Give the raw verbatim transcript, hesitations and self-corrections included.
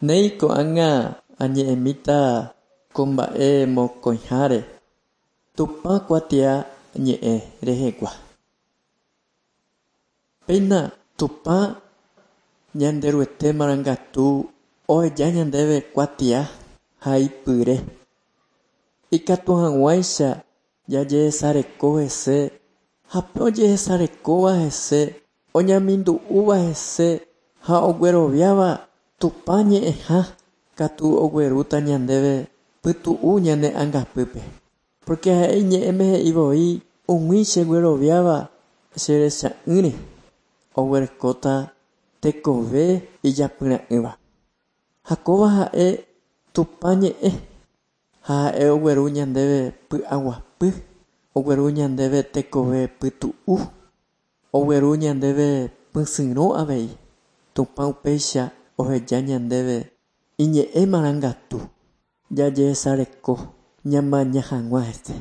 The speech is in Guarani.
Néi ko'ág̃a añe'ẽmíta ko mba'e mokõiháre Tupã kuatiañe'ẽ rehegua. Péina Tupã Ñanderuete marangatu oheja ñandéve kuatia haipyre ikatu hag̃uáicha jajesareko hese ha pe ojesarekóva hese oñamindu'úva hese ha ogueroviáva Tupã ñe'ẽha katu oguerúta ñandéve pytu'u ñane ãngapýpe. Porque ha'e iñe'ẽme he'ivoi umi chegueroviáva cherecha'ỹre oguerekóta tekove ijapyra'ỹva. Ha kóva ha'e Tupã ñe'ẽ ha ha'e ogueru ñandéve py'aguapy, ogueru ñandéve tekove pytu'u, ogueru ñandéve pysyrõ avei. Tupã upéicha oheja ñandéve iñe'ẽ marangatu jajesareko ñamaña hag̃ua hese.